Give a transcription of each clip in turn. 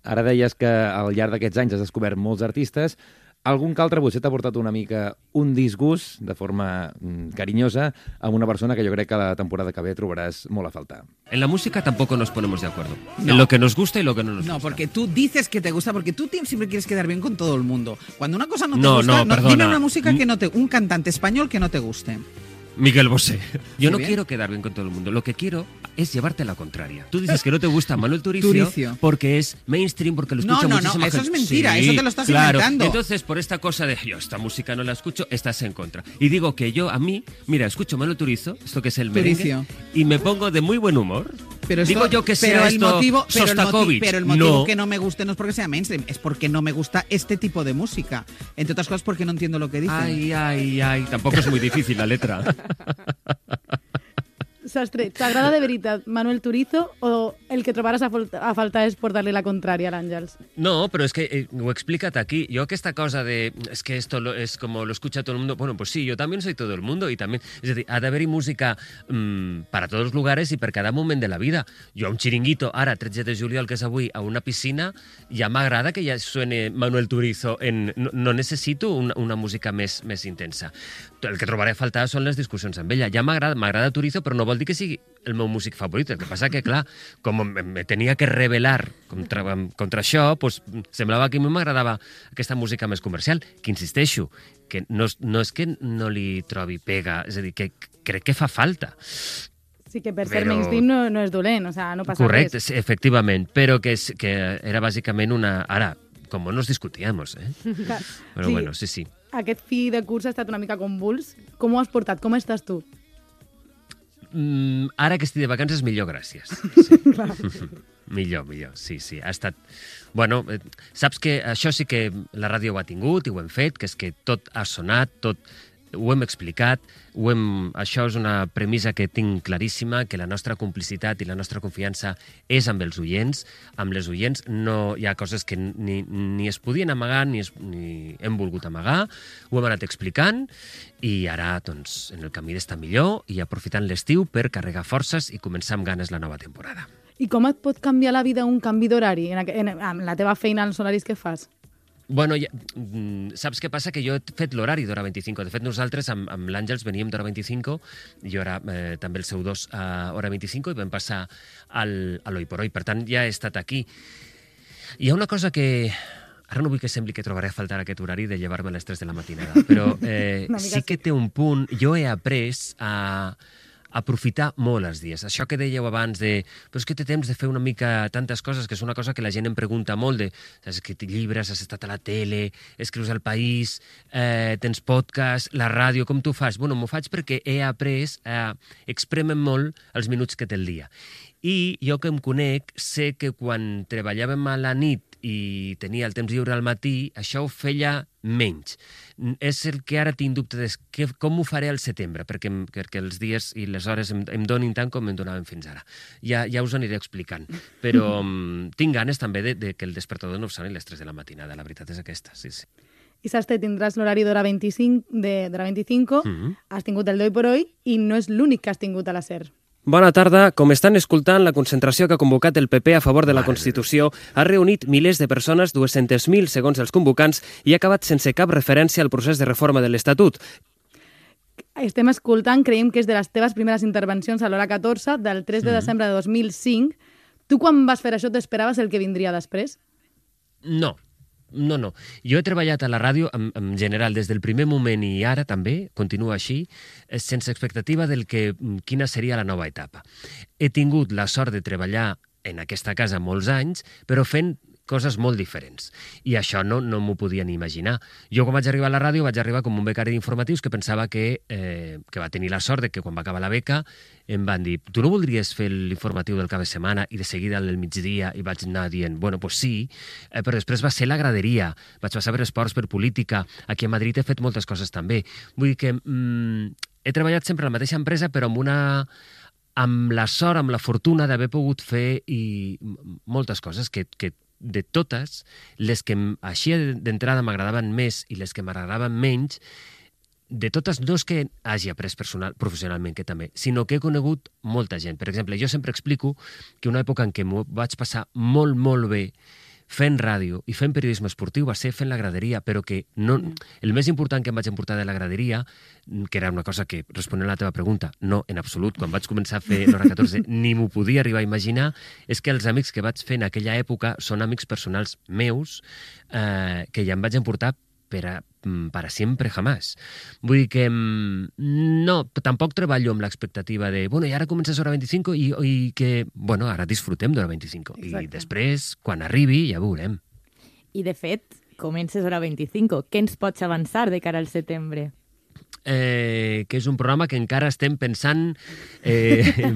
Ara deies que al llarg d'aquests anys has descobert molts artistes. Algun que altre potser t'ha portat una mica un disgust, de forma carinyosa, amb una persona que jo crec que la temporada que ve trobaràs molt a faltar. En la música tampoco nos ponemos de acuerdo. No. En lo que nos gusta y lo que no nos gusta. No, porque tú dices que te gusta, porque tú siempre quieres quedar bien con todo el mundo. Cuando una cosa no te No, gusta, perdona. dime una música que no te... Un cantante español que no te guste. Miguel Bosé. Yo no bien. quiero quedar bien con todo el mundo. Lo que quiero es llevarte la contraria. Tú dices que no te gusta Manuel Turizo porque es mainstream, porque lo escucha muchísima gente. Eso es mentira, Sí, eso te lo estás claro. inventando. Entonces, por esta cosa de yo esta música no la escucho, estás en contra. Y digo que yo, a mí, mira, escucho Manuel Turizo, esto que es el merengue, y me pongo de muy buen humor. Pero digo yo que sea esto Sostakovich. Pero el motivo que no me guste no es porque sea mainstream, es porque no me gusta este tipo de música. Entre otras cosas porque no entiendo lo que dicen. Ay, tampoco es muy difícil la letra. Sastre, t'agrada de veritat Manuel Turizo o el que trobaràs a faltar és portar-li la contrària a l'Àngels? No, pero es que lo explícate aquí. Yo que esta cosa de es que esto es como lo escucha todo el mundo. Bueno, pues sí, yo también soy todo el mundo y también, es decir, ha d'haver-hi música para todos los lugares y per cada moment de la vida. Jo a un xiringuito, ara, 13 de juliol, que és avui, a una piscina, ja m'agrada que ja suene Manuel Turizo. No necessito una música més intensa. El que trobaré a faltar són les discussions amb ella. Ja m'agrada Turizo, però no vol dir que sigui el meu músic favorit. El que passa que, clar, com me tenia que revelar contra això, pues, semblava que a mi m'agradava aquesta música més comercial, que insisteixo, que no és que no li trobi pega, és a dir, que crec que fa falta. Sí, que per ser mainstream no és dolent, o sea, no passa Correcte, res. Sí, efectivament, però que era bàsicament una... Ara, com nos discutíamos, Però Sí. bueno, sí. Aquest fi de curs ha estat una mica convuls. Com ho has portat? Com estàs tu? Ara que estic de vacances, millor, gràcies. Sí. millor, sí. Ha estat... Bueno, saps que això sí que la ràdio ho ha tingut i ho hem fet, que és que tot ha sonat, tot ho hem explicat, això és una premissa que tinc claríssima, que la nostra complicitat i la nostra confiança és amb els oients. Amb les oients no hi ha coses que ni es podien amagar ni hem volgut amagar, ho hem anat explicant i ara, doncs, en el camí d'estar millor i aprofitant l'estiu per carregar forces i començar amb ganes la nova temporada. I com et pot canviar la vida un canvi d'horari amb la teva feina, els horaris que fas? Bueno, saps què passa? Que jo he fet l'horari d'Hora 25. De fet, nosaltres amb l'Àngels veníem d'Hora 25, jo era també el seu 2 a Hora 25 i vam passar a l'Oi por Hoy. Per tant, ja he estat aquí. Hi ha una cosa que... Ara no vull que sembli que trobaré a faltar aquest horari de llevar-me a les 3 de la matinada, però sí que té un punt. Jo he après a aprofitar molt els dies. Això que dèieu abans de... Però és que té temps de fer una mica tantes coses, que és una cosa que la gent em pregunta molt de... Has escrit llibres, has estat a la tele, escrius al País, tens podcast, la ràdio, com tu fas? Bueno, m'ho faig perquè he après a exprémer molt els minuts que té el dia. I jo que em conec, sé que quan treballàvem a la nit i tenia el temps lliure al matí, això ho feia menys. És el que ara tinc dubte de com ho faré al setembre, perquè els dies i les hores em donin tant com em donaven fins ara. Ja us ho aniré explicant. Però tinc ganes també de que el despertador no soni a les 3 de la matinada. La veritat és aquesta, sí. I Sastre, tindràs l'horari d'Hora 25, has tingut el d'Hoy por Hoy i no és l'únic que has tingut a la SER. Bona tarda. Com estan escoltant, la concentració que ha convocat el PP a favor de la Constitució ha reunit milers de persones, 200.000 segons els convocants, i ha acabat sense cap referència al procés de reforma de l'Estatut. Estem escoltant, creiem que és de les teves primeres intervencions a l'Hora 14, del 3 de desembre de 2005. Tu, quan vas fer això, t'esperaves el que vindria després? No. Jo he treballat a la ràdio en general des del primer moment i ara també, continua així, sense expectativa del quina seria la nova etapa. He tingut la sort de treballar en aquesta casa molts anys, però fent coses molt diferents. I això no m'ho podia ni imaginar. Jo, quan vaig arribar a la ràdio, vaig arribar com un becari d'informatius que pensava que va tenir la sort de que quan va acabar la beca em van dir, tu no voldries fer l'informatiu del cap de setmana i de seguida al migdia? I vaig anar dient, bueno, pues sí, però després va ser la graderia. Vaig passar per esports, per política. Aquí a Madrid he fet moltes coses també. Vull dir que he treballat sempre a la mateixa empresa, però amb la sort, amb la fortuna d'haver pogut fer moltes coses que de totes, les que així d'entrada m'agradaven més i les que m'agradaven menys, de totes no és que hagi après professionalment, que també, sinó que he conegut molta gent. Per exemple, jo sempre explico que una època en què m'ho vaig passar molt, molt bé fent ràdio i fent periodisme esportiu va ser fent la graderia, però que no, el més important que em vaig emportar de la graderia, que era una cosa que, responent a la teva pregunta, no, en absolut, quan vaig començar a fer l'Hora 14 ni m'ho podia arribar a imaginar, és que els amics que vaig fer en aquella època són amics personals meus que ja em vaig emportar para siempre jamás. Vull dir que no, tampoc treballo amb l'expectativa de, bueno, i ara comences Hora 25 i que, bueno, ara disfrutem d'Hora 25. Exacte. I després, quan arribi, ja veurem. I, de fet, comences Hora 25. Què ens pots avançar de cara al setembre? Que és un programa que encara estem pensant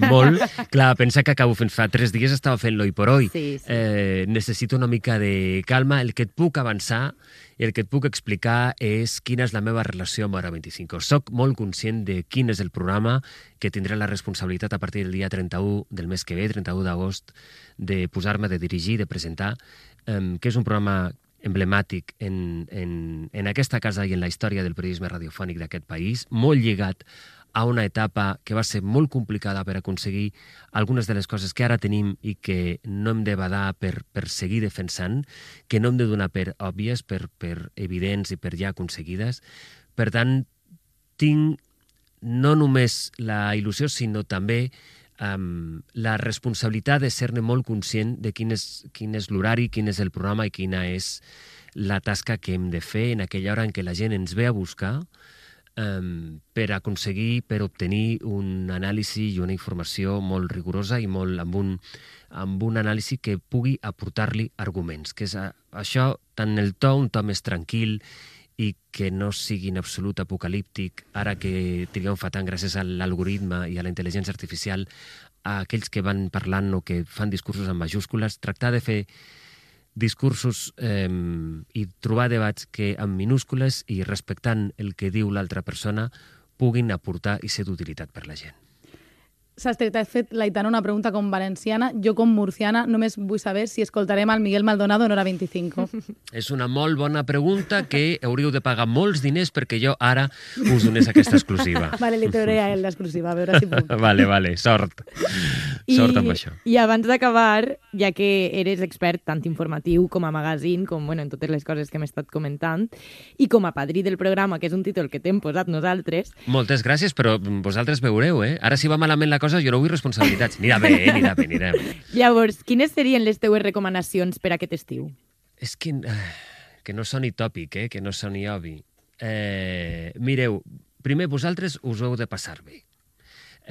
molt. Clar, pensa que acabo fent fa 3 dies estava fent l'Hoy por Hoy. Sí. Necessito una mica de calma. El que et puc avançar i el que et puc explicar és quina és la meva relació amb Hora 25. Soc molt conscient de quin és el programa, que tindré la responsabilitat a partir del dia 31 del mes que ve, 31 d'agost, de posar-me, de dirigir, de presentar, que és un programa emblemàtic en aquesta casa i en la història del periodisme radiofònic d'aquest país, molt lligat a una etapa que va ser molt complicada per aconseguir algunes de les coses que ara tenim i que no hem de badar per seguir defensant, que no hem de donar per òbvies, per evidents i per ja aconseguides. Per tant, tinc no només la il·lusió, sinó també la responsabilitat de ser-ne molt conscient de quin és l'horari, quin és el programa i quina és la tasca que hem de fer en aquella hora en què la gent ens ve a buscar per aconseguir, per obtenir un anàlisi i una informació molt rigorosa i molt amb un anàlisi que pugui aportar-li arguments, que és això, tant el to, un to més tranquil i que no sigui en absolut apocalíptic, ara que triguem fa tant gràcies a l'algoritme i a la intel·ligència artificial, a aquells que van parlant o que fan discursos en majúscules, tractar de fer discursos i trobar debats que amb minúscules i respectant el que diu l'altra persona puguin aportar i ser d'utilitat per la gent. Sastre, t'ha fet l'Aitana una pregunta com valenciana. Jo, com murciana, només vull saber si escoltarem el Miguel Maldonado en Hora 25. És una molt bona pregunta que hauríeu de pagar molts diners perquè jo ara us donés aquesta exclusiva. Vale, li trauré a ell l'exclusiva, a veure si puc. Vale, sort. Sort amb això. I abans d'acabar, ja que eres expert tant informatiu com a magazine, com en totes les coses que hem estat comentant, i com a padrí del programa, que és un títol que t'hem posat nosaltres... Moltes gràcies, però vosaltres veureu, Ara si va malament la cosa, jo no vull responsabilitats. Anirà bé. Llavors, quines serien les teues recomanacions per a aquest estiu? És que no soni tòpic, que no soni obvi. Mireu, primer vosaltres us ho heu de passar bé.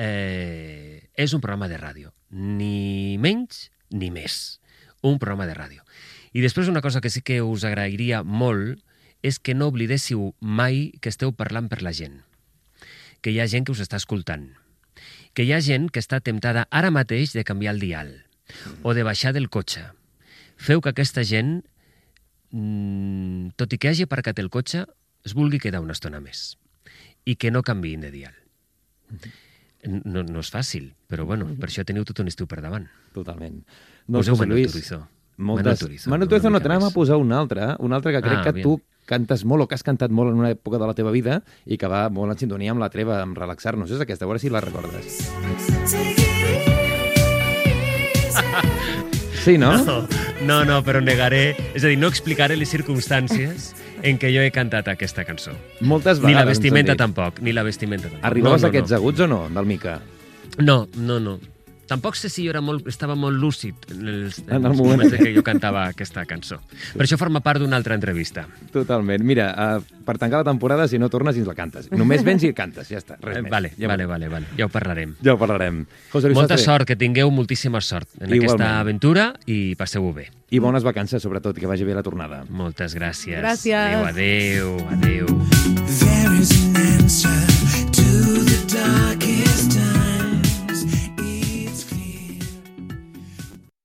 És un programa de ràdio. Ni menys ni més. Un programa de ràdio. I després una cosa que sí que us agrairia molt és que no oblidéssiu mai que esteu parlant per la gent. Que hi ha gent que us està escoltant. Que hi ha gent que està temptada ara mateix de canviar el dial o de baixar del cotxe. Feu que aquesta gent, tot i que hagi aparcat el cotxe, es vulgui quedar una estona més i que no canviïn de dial. No és fàcil, però bueno, per això teniu tot un estiu per davant. Totalment. Poseu José Manuel Luis, Turizo. Manuel Turizo no, t'anàvem a posar un altre que crec que tu cantes molt o que has cantat molt en una època de la teva vida i que va molt en sintonia amb la treva, amb relaxar-nos. És aquesta, a veure si la recordes. Sí, no? No, però negaré, és a dir, no explicaré les circumstàncies en què jo he cantat aquesta cançó. Moltes vegades. Ni la vestimenta tampoc, Arribaves a aquests aguts o no, del Mica? No. Tampoc sé si jo estava molt lúcid en el moment moments que jo cantava aquesta cançó. Per això forma part d'una altra entrevista. Totalment. Mira, per tancar la temporada, si no tornes, ens la cantes. Només vens i cantes, ja està. Res més. Vale. Ja ho parlarem. José Luis Molta Sastre. sort, que tingueu moltíssima sort en aquesta aventura i passeu-ho bé. I bones vacances, sobretot, que vagi bé la tornada. Moltes gràcies. Gràcies. Adéu.